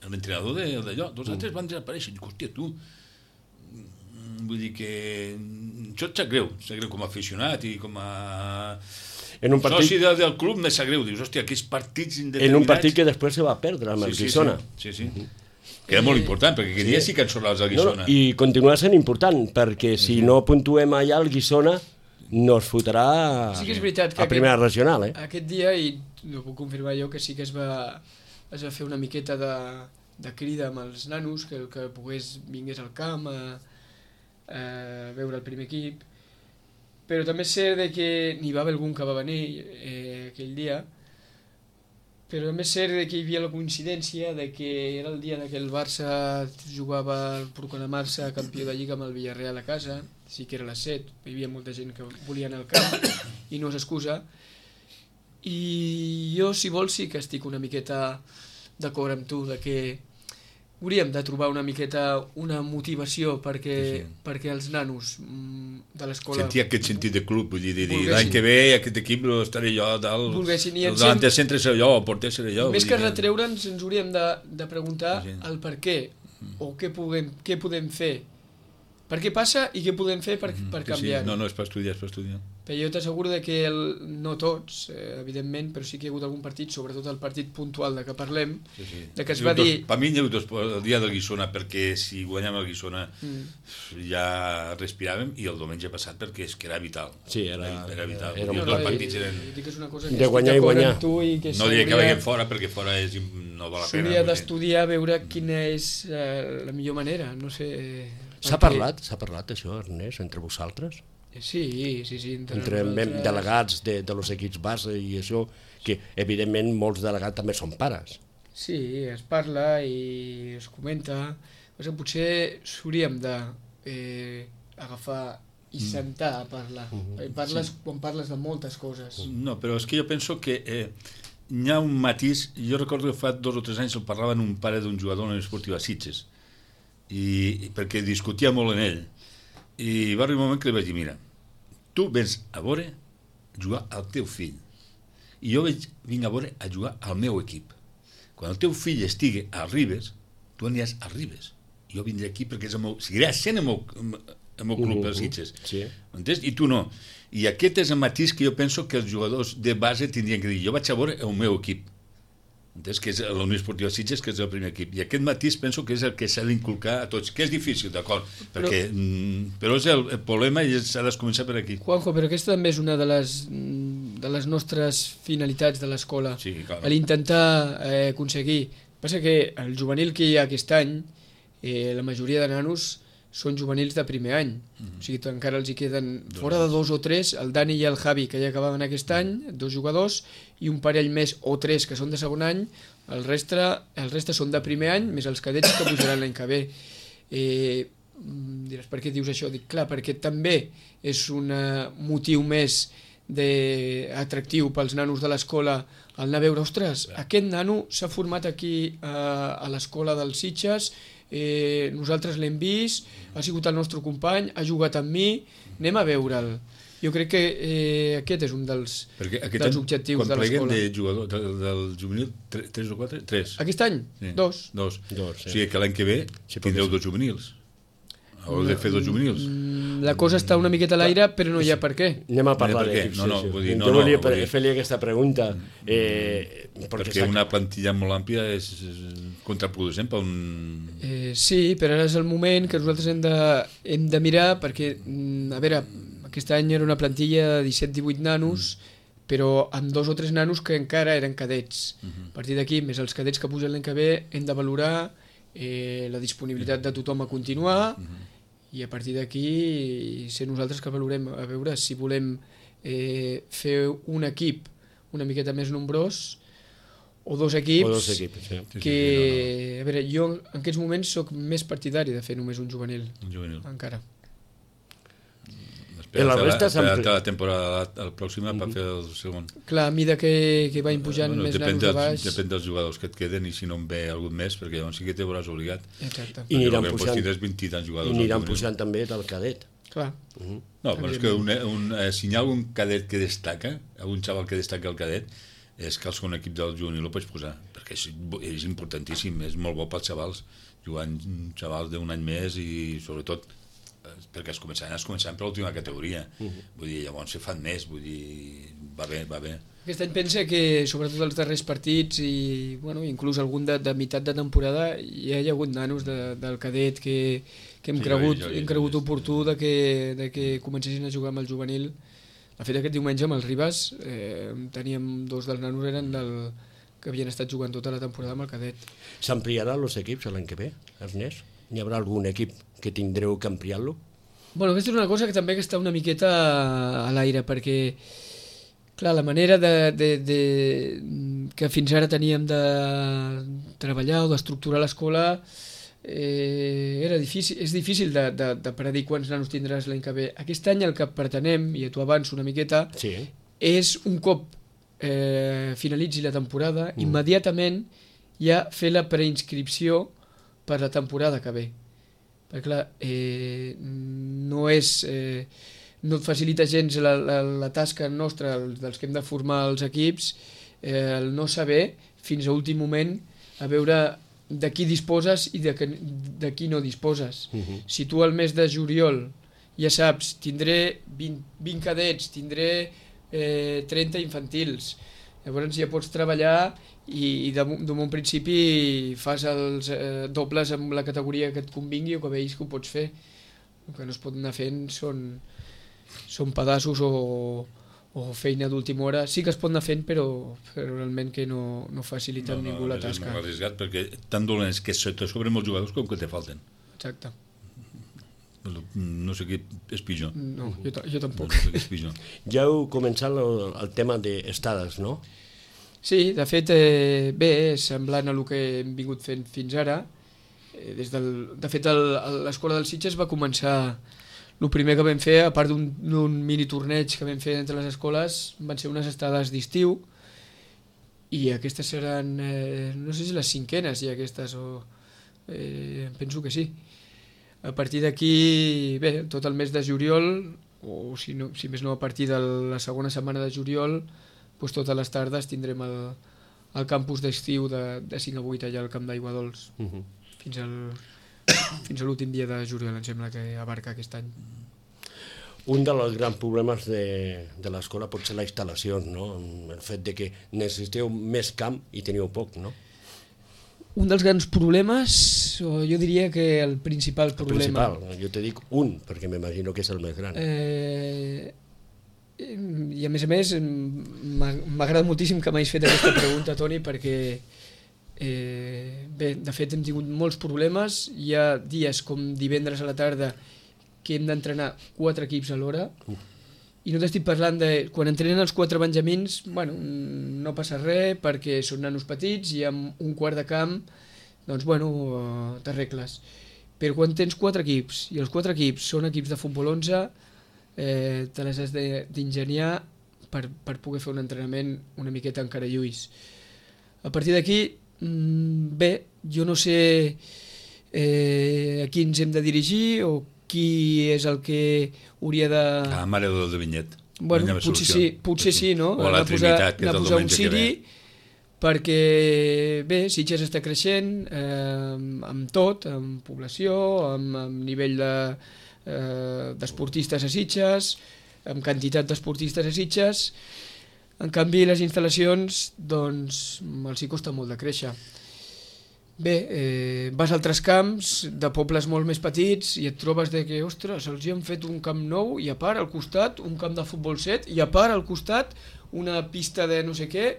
l'entrenador d'allò. Dos altres van desaparèixer. Dic, hòstia, tu, vull dir que això et sap greu com a aficionat i com a soci del club me sap greu. Dius, hòstia, aquells partits indeterminats... En un partit que després se va perdre amb el Guissona. Sí. Que era molt important, perquè aquell dia sí que ensorraves el Guissona. I continua sent important, perquè si no puntuem allà, el Guissona no es fotrà a primera regional. Aquest dia, i ho puc confirmar jo, que sí que es va fer una miqueta de crida amb els nanos, que vingués al camp a veure el primer equip, però també és cert que n'hi va haver algun que va venir aquell dia, però també és cert que hi havia la coincidència de que era el dia que el Barça jugava el proclamar-se campió de Lliga amb el Villarreal a casa, sí que era a les 7, hi havia molta gent que volia anar al camp i no s'excusa, i jo, si vols, sí que estic una miqueta d'acord amb tu de que hauríem de trobar una miqueta una motivació perquè els nanos de l'escola... Sentir aquest sentit de club, vull dir, l'any que ve aquest equip estaré jo dalt, el delanter centre seré jo, el porter seré jo... Més que retreure'ns, ens hauríem de preguntar el per què, o què podem fer, per què passa i què podem fer per canviar-ho. No, és per estudiar, Però jo t'asseguro que no tots, evidentment, però sí que hi ha hagut algun partit, sobretot el partit puntual de què parlem, de que es va dir... Per mi hi ha hagut el dia del Guissona, perquè si guanyàvem el Guissona ja respiràvem, i el diumenge passat perquè és que era vital. Sí, era vital. I els dos partits eren... De guanyar i guanyar. No diré que vagin fora, perquè fora no val la pena. S'hauria d'estudiar, veure quina és la millor manera, no sé... S'ha parlat això, Ernest, entre vosaltres? Sí. Entre delegats de los equips base i això, que evidentment molts delegats també són pares. Sí, es parla i es comenta. Potser s'hauríem d'agafar i sentar a parlar. Quan parles de moltes coses. No, però és que jo penso que hi ha un matís. Jo recordo que fa 2 o 3 anys el parlava amb un pare d'un jugador en l'Esportiva Sitges, perquè discutia molt en ell. I va arribar un moment que li vaig dir, mira, tu vens a veure jugar al teu fill i jo vinc a veure a jugar al meu equip. Quan el teu fill estigui a Ribes, tu aniràs a Ribes. Jo vindré aquí perquè seguirà sent el meu club de Sitges. Entens? I tu no. I aquest és el matís que jo penso que els jugadors de base tindrien que dir, jo vaig a veure el meu equip. Entens? Que és la Unió Esportiva Sitges, que és el primer equip. I aquest matís penso que és el que s'ha d'inculcar a tots, que és difícil, d'acord, però és el problema i s'ha de començar per aquí. Juanjo, però aquesta també és una de les nostres finalitats de l'escola, l'intentar aconseguir. Passa que el juvenil que hi ha aquest any, la majoria de nanos són juvenils de primer any, o sigui que encara els hi queden fora de 2 o 3, el Dani i el Javi, que ja acabaven aquest any, 2 jugadors, i un parell més o 3 que són de segon any, el reste són de primer any, més els cadets que pujaran l'any que ve. Diràs, per què dius això? Dic, clar, perquè també és un motiu més atractiu pels nanos de l'escola el anar a veure, ostres, aquest nano s'ha format aquí a l'escola dels Sitges, nosaltres l'hem vist, ha sigut el nostre company, ha jugat amb mi, anem a veure'l. Jo crec que aquest és un dels objectius de l'escola. Quan pleguem de jugador del juvenil, 3 o 4? 3. Aquest any? 2. O sigui que l'any que ve tindreu 2 juvenils. Heu de fer 2 juvenils. La cosa està una miqueta a l'aire, però no hi ha per què. Anem a parlar d'equips. Jo volia fer-li aquesta pregunta. Perquè una plantilla molt àmplia és contraproducent per un... Sí, però ara és el moment que nosaltres hem de mirar, perquè, a veure, aquest any era una plantilla de 17-18 nanos, però amb 2 o 3 nanos que encara eren cadets. A partir d'aquí, més els cadets que pugen l'any que ve, hem de valorar la disponibilitat de tothom a continuar, i a partir d'aquí ser nosaltres que valorem a veure si volem fer un equip una miqueta més nombrós o 2 equips, que a veure, jo en aquests moments soc més partidari de fer només un juvenil. Encara. La temporada pròxima per fer el segon. Clar, a mesura que vagin pujant més nanos de baix... Depèn dels jugadors que et queden i si no en ve algun més, perquè llavors sí que te veuràs obligat. Exacte. I aniran pujant també del cadet. Clar. No, però és que si hi ha algun cadet que destaca, algun xaval que destaca el cadet, és que el segon equip del juvenil ho pots posar, perquè és importantíssim, és molt bo pels xavals, jugant xavals d'un any més i sobretot perquè es començaran per l'última categoria, vull dir, llavors se fan més, vull dir, va bé. Aquest any pensa que sobretot els darrers partits i inclús algun de meitat de temporada hi ha hagut nanos del cadet que hem cregut oportú de que comencessin a jugar amb el juvenil. De fet, aquest diumenge amb els Ribas teníem 2 dels nanos que havien estat jugant tota la temporada amb el cadet. S'ampliaran els equips l'any que ve, Ernest? Hi haurà algun equip que tindreu que ampliar-lo? Bueno, aquesta és una cosa que també està una miqueta a l'aire, perquè clar, la manera que fins ara teníem de treballar o d'estructurar l'escola és difícil de predir quants nanos tindràs l'any que ve. Aquest any el que pretenem, i t'ho avanço una miqueta, és un cop finalitzi la temporada, immediatament ja fer la preinscripció per la temporada que ve. Perquè clar, no et facilita gens la tasca nostra dels que hem de formar els equips, el no saber fins a últim moment a veure de qui disposes i de qui no disposes. Si tu al mes de juliol ja saps, tindré 20 cadets, tindré 30 infantils, llavors ja pots treballar i d'un principi fas els dobles amb la categoria que et convingui o que veus que ho pots fer. El que no es pot anar fent són pedaços o feina d'última hora. Sí que es pot anar fent, però realment que no facilita ningú la tasca. És molt arriscat perquè tan dolents que te sobren molts jugadors com que te falten. Exacte. No sé què és pitjor. No, jo tampoc. No sé què és pitjor. Ja heu començat el tema d'estades, no? Sí, de fet, bé, semblant a el que hem vingut fent fins ara. De fet, l'escola dels Sitges va començar... El primer que vam fer, a part d'un mini torneig que vam fer entre les escoles, van ser unes estades d'estiu, i aquestes seran, no sé si les 5enes ja aquestes, penso que sí. A partir d'aquí, bé, tot el mes de juliol, o si més no a partir de la segona setmana de juliol, doncs totes les tardes tindrem el campus d'estiu de 5 a 8 allà al Camp d'Aigua Dols, fins a l'últim dia de juliol, em sembla que abarca aquest any. Un dels grans problemes de l'escola pot ser la instal·lació, no? El fet de que necessiteu més camp i teniu poc, no? Un dels grans problemes, o jo diria que el principal problema... El principal, jo te dic un, perquè m'imagino que és el més gran. I a més, m'ha agradat moltíssim que m'hagis fet aquesta pregunta, Toni, perquè Bé, de fet hem tingut molts problemes, hi ha dies com divendres a la tarda que hem d'entrenar 4 equips alhora, i no t'estic parlant de... Quan entrenen els 4 benjamins, bueno, no passa res perquè són nanos petits i amb un quart de camp, doncs bueno, t'arregles. Però quan tens 4 equips i els 4 equips són equips de futbol 11, te les has d'ingeniar per poder fer un entrenament una miqueta encara lluís. A partir d'aquí, bé, jo no sé a qui ens hem de dirigir o qui és el que hauria de... Mare de Vinyet. Bueno, potser sí, no? O la Trinitat, que és el diumenge que ve. Perquè, bé, Sitges està creixent amb tot, amb població, amb nivell d'esportistes a Sitges, amb quantitat d'esportistes a Sitges. En canvi, les instal·lacions, doncs, els hi costa molt de créixer. Bé, vas a altres camps de pobles molt més petits i et trobes que, ostres, els hi han fet un camp nou i a part al costat un camp de futbol 7 i a part al costat una pista de no sé què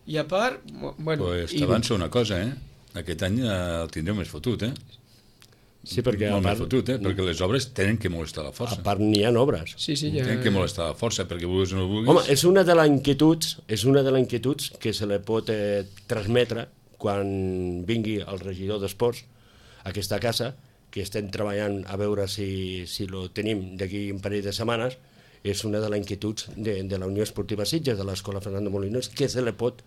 i a part... Bueno, pues t'avanço una cosa, aquest any el tindreu més fotut, Sí, perquè molt més fotut, perquè les obres tenen que molestar la força. A part n'hi ha obres. Sí, ja... Tenen que molestar la força, perquè vulguis o no vulguis... Home, és una de les inquietuds que se li pot transmetre quan vingui el regidor d'Esports a aquesta casa, que estem treballant a veure si lo tenim d'aquí un parell de setmanes, és una de les inquietuds de la Unió Esportiva Sitges, de l'Escola Fernando Molinos, que se li pot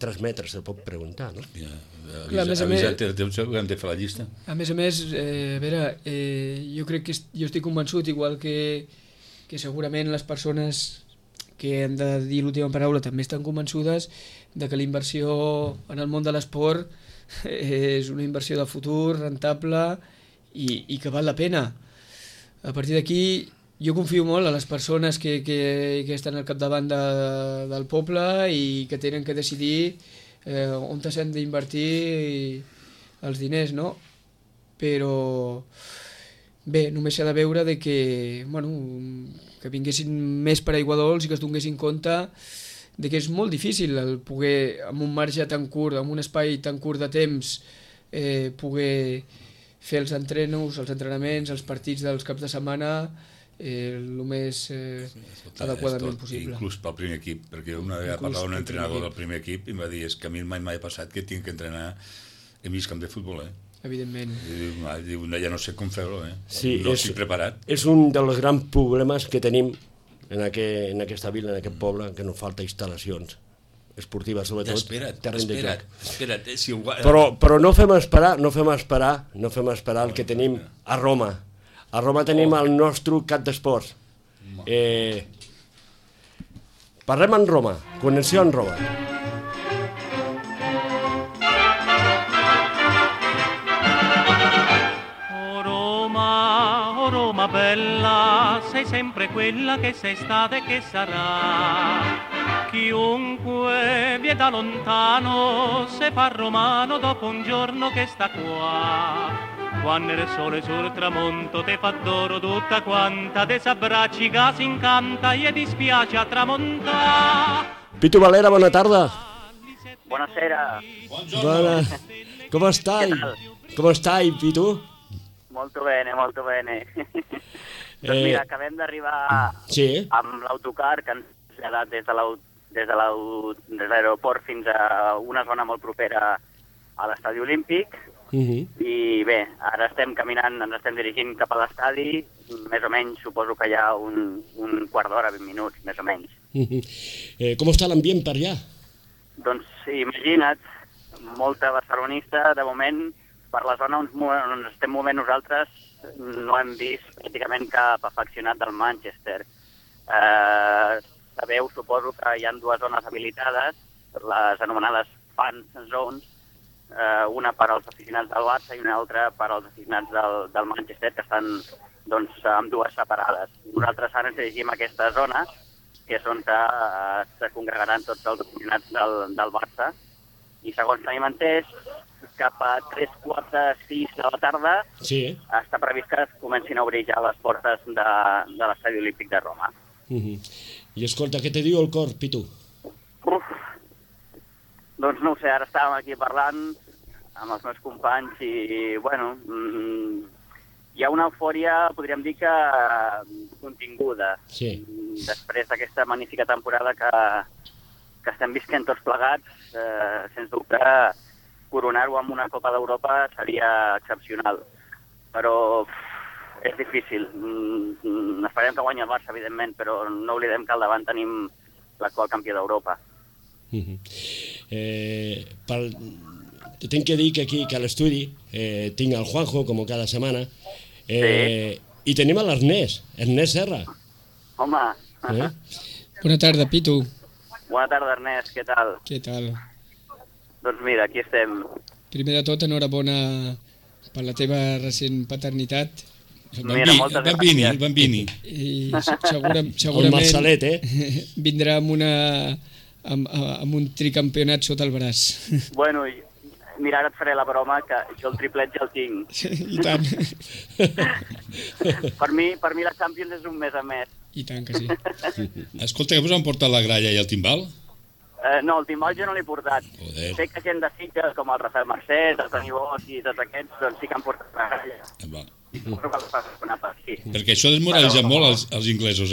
transmetre, se li pot preguntar, no? Hem de fer la llista. A més, a veure, jo crec que jo estic convençut, igual que segurament les persones que han de dir l'última paraula també estan convençudes de que la inversió en el món de l'esport és una inversió de futur, rentable i que val la pena. A partir d'aquí, jo confio molt a les persones que estan al capdavant del poble i que tenen que decidir on s'han d'invertir els diners, no? Però bé, només s'ha de veure que vinguessin més paraiguadols i que es donessin compte de que és molt difícil el poder, amb un marge tan curt, amb un espai tan curt de temps, poder fer els entrenaments, els partits dels caps de setmana el més adequadament possible. Inclús pel primer equip, perquè una vegada parlava un entrenador del primer equip i em va dir que a mi mai m'ha passat que tinc que entrenar en mig camp de futbol, Evidentment. Diu, ja no sé com fer-ho, Sí, no estic preparat. És un dels grans problemes que tenim en aquesta vila, en aquest poble, que no falta instal·lacions esportives, sobretot terreny de joc. Espera't, però no fem esperar el que tenim a Roma. A Roma tenim el nostre cap d'esports. Parlem en Roma, connexió en Roma. Roma bella, sei sempre quella che sei stata e che sarà. Chiunque viene da lontano se fa romano dopo un giorno che sta qua. Quando il sole sul tramonto te fa d'oro tutta quanta, te s'abbracci che si incanta e dispiace a tramontare. Pitu Valera, bona tarda. Buonasera. Buona. Come stai? Come stai, Pitu? Molto bene, molto bene. Doncs mira, acabem d'arribar amb l'autocar que ens ha traslladat des de l'aeroport fins a una zona molt propera a l'estadi olímpic. I bé, ara estem caminant, ens estem dirigint cap a l'estadi, més o menys suposo que hi ha un quart d'hora, 20 minuts, més o menys. Com està l'ambient per allà? Doncs imagina't, molta barcelonista, de moment, per la zona on estem movent nosaltres no hem vist pràcticament cap afeccionat del Manchester. Sabeu, suposo que hi ha dues zones habilitades, les anomenades fan zones, una per als aficionats del Barça i una altra per als aficionats del Manchester, que estan doncs, amb dues separades. Nosaltres ara ens dirigim a aquesta zona, que és on se congregaran tots els aficionats del Barça, i segons tenim entès, cap a 3:45 de la tarda està previst que es comencin a obrir ja les portes de l'estadi olímpic de Roma. I escolta, què te diu el cor, Pitu? Doncs no ho sé, ara estàvem aquí parlant amb els meus companys i, bueno, hi ha una eufòria, podríem dir que continguda. Sí. Després d'aquesta magnífica temporada que estem visquent tots plegats, sens dubte, coronar-ho amb una Copa d'Europa seria excepcional. Però és difícil. Esperem que guanyi el Barça, evidentment, però no oblidem que al davant tenim l'actual campió d'Europa. Tinc que dir que aquí, que a l'estudi, tinc el Juanjo, com cada setmana, i tenim l'Ernest Serra. Home! Bona tarda, Pitu. Bona tarda, Ernest, què tal? Què tal? Doncs mira, aquí estem. Primer de tot, enhorabona per la teva recent paternitat. El Bambini. I segurament... El Marcelet, vindrà amb un tricampionat sota el braç. Bueno, mira, ara et faré la broma que jo el triplet ja el tinc. I tant. Per mi la Champions és un mes a més. I tant que sí. Escolta, que vos han portat la gralla i el timbal? No, el timbal jo no l'he portat. Joder. Sé que gent de Sitges, com el Rafael Mercès, el Toni Bosch i tots aquests, doncs sí que han portat la gralla. Va. Sí. Perquè això desmoralitza molt els inglesos,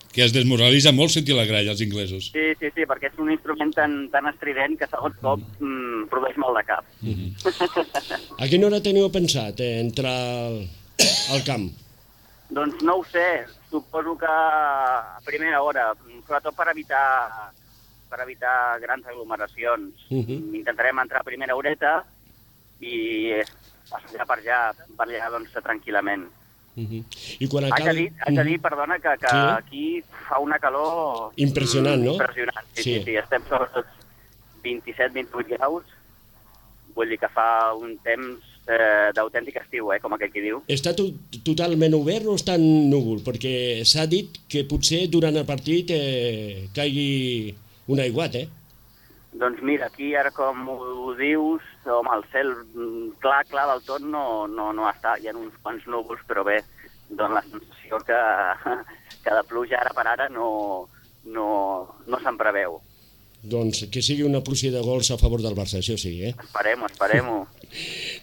Que es desmoralitza molt sentir la gralla, els inglesos. Sí, perquè és un instrument tan estrident que segons cop produeix molt de cap. A quina hora teniu pensat entrar al camp? Doncs no ho sé, suposo que a primera hora, sobretot per evitar grans aglomeracions. Intentarem entrar a primera horeta i passar per allà doncs, tranquil·lament. I quan acabi... Haig de dir, perdona, que aquí fa una calor... Impressionant, no? Impressionant, sí, estem sobretot 27-28 graus, vull dir que fa un temps d'autèntic estiu, com aquell qui diu. Està totalment obert o està en núvol? Perquè s'ha dit que potser durant el partit caigui un aiguat, Doncs mira, aquí ara com ho dius, home, el cel clar del tot no està, hi ha uns quants núvols, però bé, dona la sensació que de pluja ara per ara no se'n preveu. Doncs que sigui una pluja de gols a favor del Barça, això sí, Esperem-ho.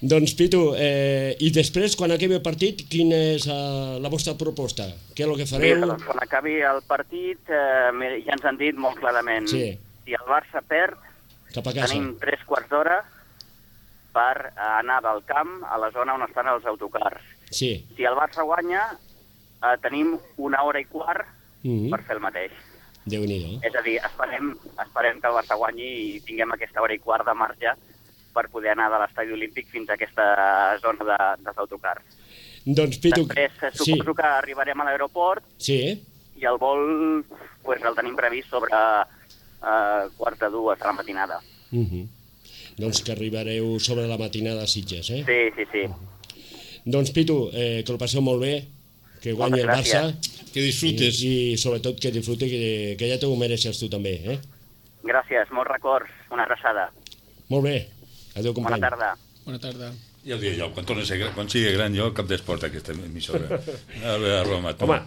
Doncs, Pitu, i després, quan acabi el partit, quina és la vostra proposta? Què és el que fareu? Mira, doncs, quan acabi el partit, ja ens han dit molt clarament, si el Barça perd, tenim 3 quarts d'hora per anar del camp a la zona on estan els autocars. Si el Barça guanya, tenim 1 hora i quart per fer el mateix. Déu-n'hi-do. És a dir, esperem que el Barça guanyi i tinguem aquesta hora i quart de marge per poder anar de l'estadi olímpic fins a aquesta zona dels autocars. Doncs, Pitu... Després suposo que arribarem a l'aeroport i el vol el tenim previst sobre 1:45 de la matinada. Doncs que arribareu sobre la matinada a Sitges, Sí. Doncs, Pitu, que el passeu molt bé, que guanyi el Barça. Que disfrutes. I sobretot que disfrute, que ja t'ho mereixes tu també, Gràcies, molts records, una abraçada. Molt bé, adéu company. Bona tarda. Ja ho dic jo, quan sigui gran jo cap d'esport aquesta emissora. A Roma. Home,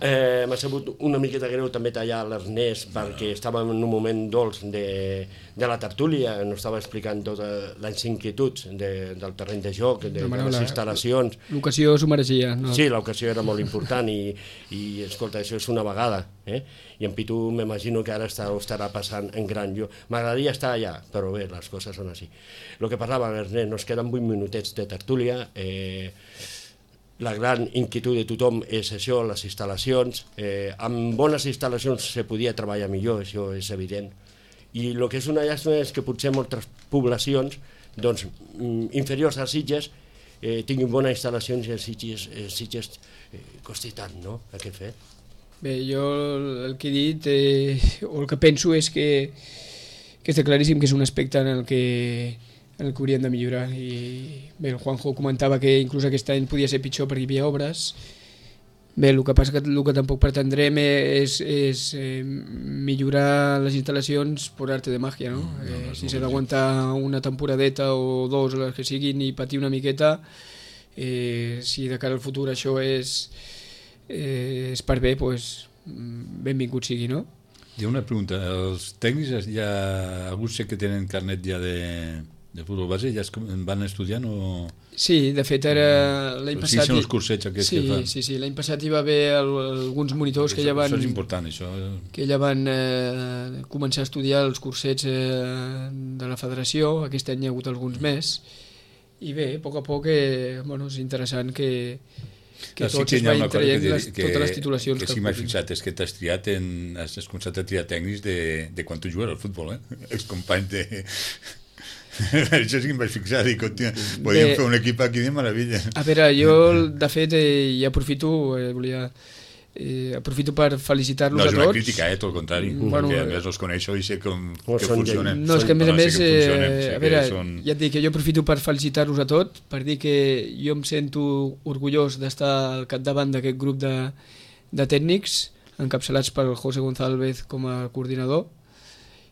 m'ha sabut una miqueta greu també tallar l'Ernest perquè estàvem en un moment dolç de la tertúlia, ens estava explicant totes les inquietuds del terreny de joc, de les instal·lacions. L'ocasió s'ho mereixia. No? Sí, l'ocasió era molt important i escolta, això és una vegada. I en Pitu m'imagino que ara ho estarà passant en gran. M'agradaria estar allà, però bé, les coses són així. El que parlava l'Ernest, nos queden 8 minutets de tertúlia. La gran inquietud de tothom és això, les instal·lacions. Amb bones instal·lacions se podia treballar millor, això és evident. I el que és una llàstima és que potser moltes poblacions inferiors a Sitges tinguin bones instal·lacions i Sitges costi tant, no?, aquest fet. Bé, jo el que he dit, o el que penso és que està claríssim que és un aspecte en el que haurien de millorar. I bé, el Juanjo comentava que inclús aquest any podia ser pitjor perquè hi havia obres. Bé, el que passa que el que tampoc pretendrem és millorar les instal·lacions per arte de màgia, no? Si s'ha d'aguantar una temporadeta o 2, les que siguin, i patir una miqueta, si de cara al futur això és per bé, doncs benvingut sigui, no? Hi ha una pregunta. Els tècnics, alguns sé que tenen carnet ja de futbol base, ja van estudiant o...? Sí, de fet era l'any passat... Sí, són els cursets aquests que fan. Sí, l'any passat hi va haver alguns monitors que ja van... Això és important, això. Que ja van començar a estudiar els cursets de la federació, aquest any hi ha hagut alguns més, i bé, a poc és interessant que tots es vagin traient totes les titulacions que sí m'has fixat, és que t'has triat has començat a triar tècnics de quan tu jugues al futbol, els companys de... Això sí que em vaig fixar, dic, podríem fer un equip aquí de meravella. A veure, jo de fet ja aprofito per felicitar-los a tots. No és una crítica, tot el contrari, perquè a més els coneixo i sé que funcionen. No, és que a més, a veure, ja et dic que jo aprofito per felicitar-los a tots, per dir que jo em sento orgullós d'estar al capdavant d'aquest grup de tècnics, encapçalats pel José González com a coordinador.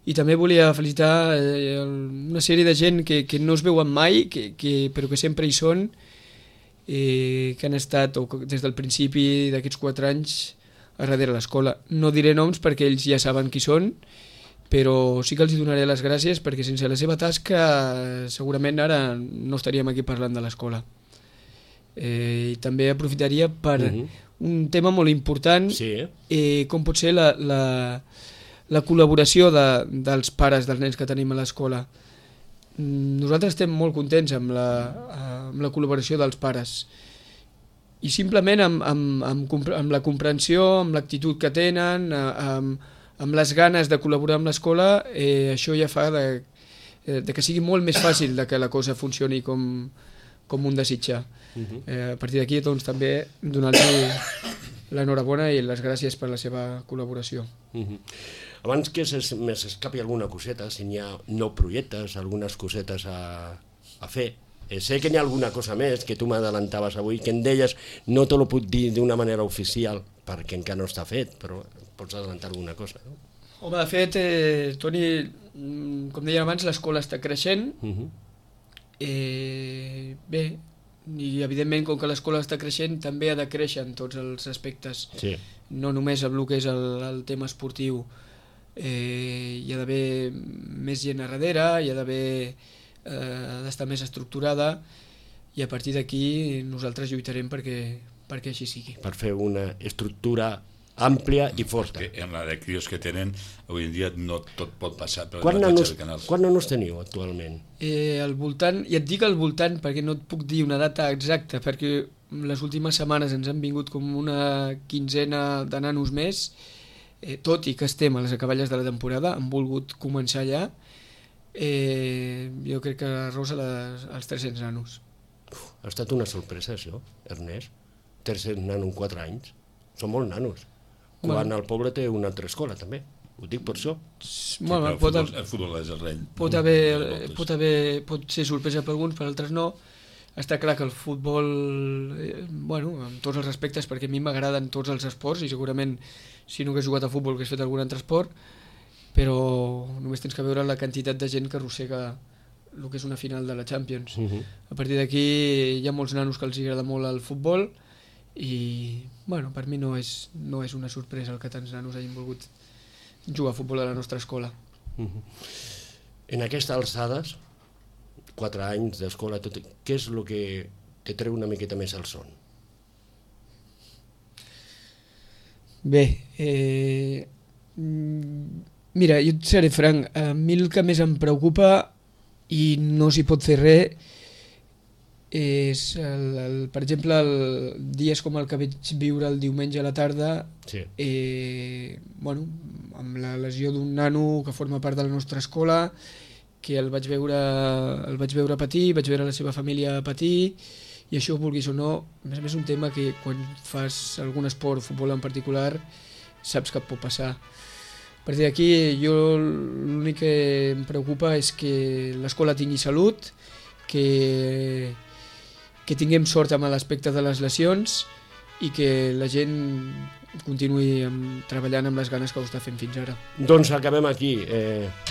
I també volia felicitar una sèrie de gent que no es veuen mai, però que sempre hi són, que han estat des del principi d'aquests 4 anys a darrere l'escola. No diré noms perquè ells ja saben qui són, però sí que els donaré les gràcies perquè sense la seva tasca segurament ara no estaríem aquí parlant de l'escola. I també aprofitaria per un tema molt important, com pot ser la col·laboració dels pares dels nens que tenim a l'escola. Nosaltres estem molt contents amb la col·laboració dels pares i simplement amb la comprensió, amb l'actitud que tenen, amb les ganes de col·laborar amb l'escola, això ja fa que sigui molt més fàcil que la cosa funcioni com un desitja. A partir d'aquí doncs, també donar-los l'enhorabona i les gràcies per la seva col·laboració. Abans que s'escapi alguna coseta, si n'hi ha nou projectes, algunes cosetes a fer, sé que n'hi ha alguna cosa més que tu m'adalantaves avui, que em deies, no te lo puc dir d'una manera oficial, perquè encara no està fet, però pots adelantar alguna cosa, no? Home, de fet, Toni, com deia abans, l'escola està creixent. Bé, i evidentment, com que l'escola està creixent, també ha de créixer en tots els aspectes. No només amb el que és el tema esportiu. Hi ha d'haver més gent a darrere, hi ha d'estar més estructurada, i a partir d'aquí nosaltres lluitarem perquè així sigui. Per fer una estructura àmplia i forta. En la de crios que tenen, avui en dia no tot pot passar per Quants nanos teniu actualment? Al voltant, ja et dic al voltant perquè no et puc dir una data exacta, perquè les últimes setmanes ens han vingut com una quinzena de nanos més, tot i que estem a les acaballes de la temporada, han volgut començar allà, jo crec que rosa els 300 nanos. Ha estat una sorpresa això, Ernest? 300 nanos en 4 anys? Són molts nanos. Quan el poble té una altra escola també, ho dic per això. El futbol és el rei. Pot ser sorpresa per alguns, per altres no. Està clar que el futbol, amb tots els respectes, perquè a mi m'agraden tots els esports i segurament si no hagués jugat a futbol hagués fet algun altre esport, però només tens que veure la quantitat de gent que arrossega el que és una final de la Champions. A partir d'aquí hi ha molts nanos que els agrada molt el futbol i per mi no és una sorpresa el que tants nanos hagin volgut jugar a futbol a la nostra escola. En aquestes alçades, 4 anys d'escola, què és el que te treu una miqueta més al son? Bé, mira, jo et seré franc, a mi el que més em preocupa i no s'hi pot fer res és, per exemple, dies com el que vaig viure el diumenge a la tarda, amb la lesió d'un nano que forma part de la nostra escola, que el vaig veure patir, vaig veure la seva família patir, i això, vulguis o no, a més un tema que quan fas algun esport, futbol en particular, saps que et pot passar. A partir d'aquí, jo l'únic que em preocupa és que l'escola tingui salut, que tinguem sort amb l'aspecte de les lesions i que la gent continuï treballant amb les ganes que ho està fent fins ara. Doncs acabem aquí.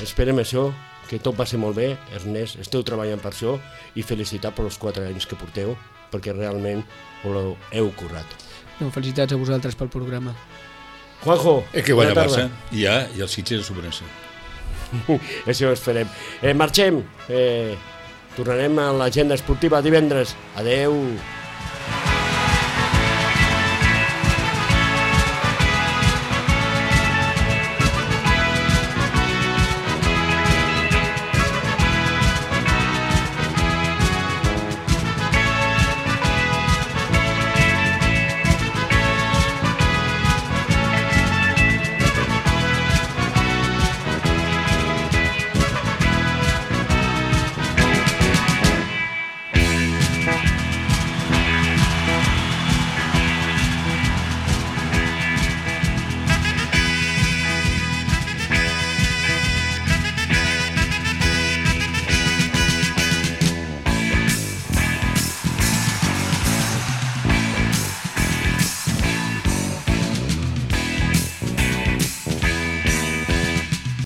Esperem això, que tot passi molt bé. Ernest, esteu treballant per això i felicitar per els 4 anys que porteu, perquè realment ho heu currat. Felicitats a vosaltres pel programa. Juanjo, que guanya Barça i el Sitges a Superense. Això ho esperem. Marxem. Tornarem a l'agenda esportiva divendres. Adeu.